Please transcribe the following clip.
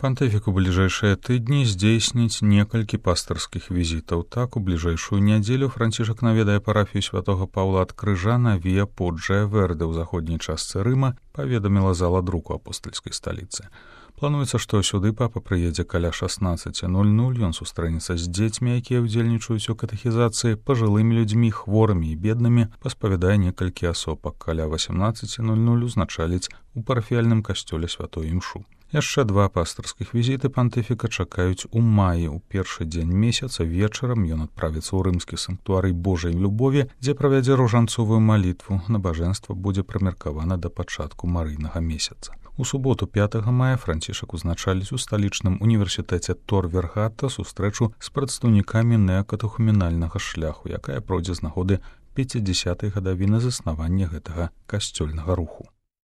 Пантыфік у бліжэйшыя тыдні здзейсніць некалькі пастырскіх візітаў. Так, у бліжэйшую нядзелю Францішак наведае парафію святога Паўла ад Крыжа на Віа Поджа Верде ў заходняй частцы Рыма, паведаміла зала друку апостальскай сталіцы. Плануецца, што сюды папа прыедзе каля 16:00. Ён сустрэнецца з дзецьмі, якія ўдзельнічаюць у катэхізацыі, пажылымі людзьмі, хворымі і беднымі, паспавядае некалькі асоб, каля 18:00 узначаліць у парафіяльным касцёле святой імшу. Яшчэ 2 пастырскіх візіты пантыфіка чакаюць у маі. У першы дзень месяца вечарам ён адправіцца ў рымскі санктуарый Божай любові, дзе правядзе ружанцовую малітву. Набажэнства будзе прымеркавана да пачатку марыйнага месяца. У суботу 5 мая Францішак узначаліць у сталічным універсітэце Тор Вергата сустрэчу з прадстаўнікамі неакатехуменальнага шляху, якая пройдзе з нагоды 50-й гадавіны заснавання гэтага касцёльнага руху.